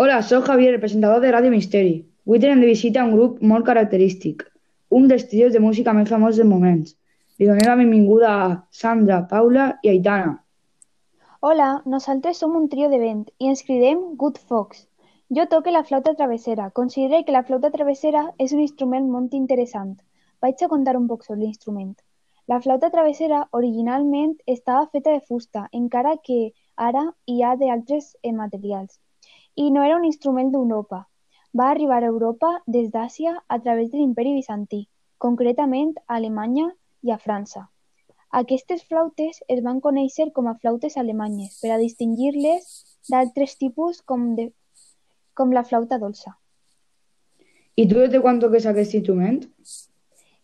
Hola, soc Javier, el presentador de Ràdio Misteri. Avui tenem de visita un grup molt característic, un dels trios de música més famosos del moment. Li donem la benvinguda a Sandra, Paula i Aitana. Hola, nosaltres som un trio de vent i ens cridem Good Fox. Jo toque la flauta travessera. Considere que la flauta travessera és un instrument molt interessant. Vaig a contar un poc sobre l'instrument. La flauta travessera originalment estava feta de fusta, encara que ara hi ha d'altres materials. I no era un instrument d'Europa. Va arribar a Europa des d'Àsia a través de l'imperi bizantí, concretament a Alemanya i a França. Aquestes flautes es van conèixer com a flautes alemanyes per a distingir-les d'altres tipus com la flauta dolça. I tu des de quan toques aquest instrument?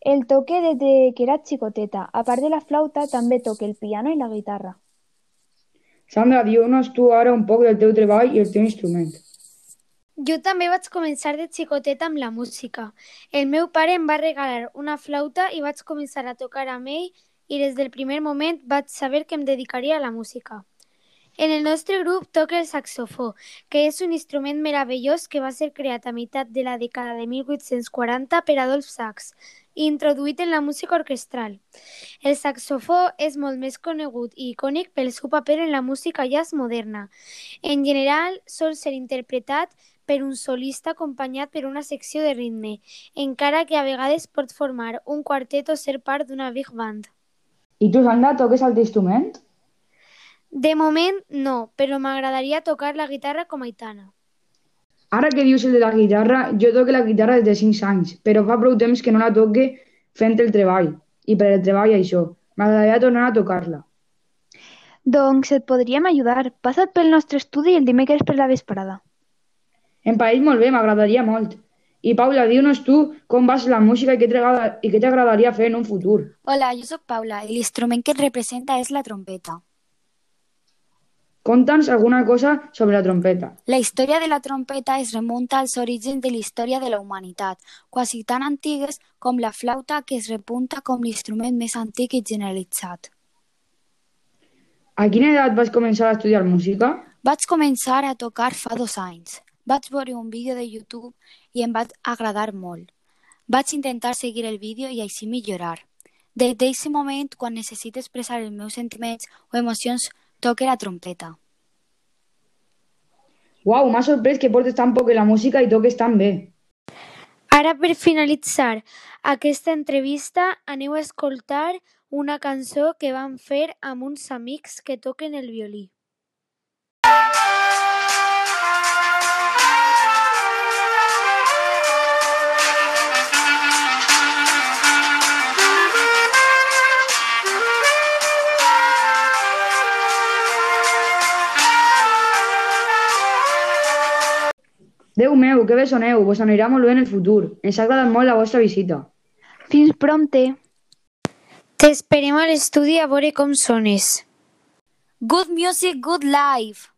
El toque des de que era xicoteta. A part de la flauta, també toque el piano i la guitarra. Sandra, diu-nos tu ara un poc del teu treball i el teu instrument. Jo també vaig començar de xicoteta amb la música. El meu pare em va regalar una flauta i vaig començar a tocar amb ell i des del primer moment vaig saber que em dedicaria a la música. En el nostre grup toca el saxofó, que és un instrument meravellós que va ser creat a meitat de la dècada de 1840 per Adolf Sax i introduït en la música orquestral. El saxofó és molt més conegut i icònic pel seu paper en la música jazz moderna. En general, sol ser interpretat per un solista acompanyat per una secció de ritme, encara que a vegades pot formar un quartet o ser part d'una big band. I tu, Sandra, toques el teu instrument? De moment, no, però m'agradaria tocar la guitarra com a Aitana. Ara que dius el de la guitarra, jo toco la guitarra des de 5 anys, però fa prou temps que no la toque fent el treball. I per el treball això, m'agradaria tornar a tocar-la. Doncs et podríem ajudar. Passa't pel nostre estudi el dimecres per la vesprada. Em pareix molt bé, m'agradaria molt. I Paula, diu-nos tu com vas la música i què t'agradaria fer en un futur. Hola, jo sóc Paula i l'instrument que et representa és la trompeta. Conta'ns alguna cosa sobre la trompeta. La història de la trompeta es remunta als orígens de la història de la humanitat, quasi tan antigues com la flauta, que es repunta com l'instrument més antic i generalitzat. A quina edat vas començar a estudiar música? Vaig començar a tocar fa 2 anys. Vaig veure un vídeo de YouTube i em va agradar molt. Vaig intentar seguir el vídeo i així millorar. Des d'aquest moment, quan necessito expressar els meus sentiments o emocions, toque la trompeta. Uau, m'ha sorprès que portes tan poc en la música i toques tan bé. Ara, per finalitzar aquesta entrevista, aneu a escoltar una cançó que vam fer amb uns amics que toquen el violí. Déu meu, que bé soneu, vos anirà molt bé en el futur. Ens ha agradat molt la vostra visita. Fins prompte! T'esperem a l'estudi a veure com sones. Good music, good life!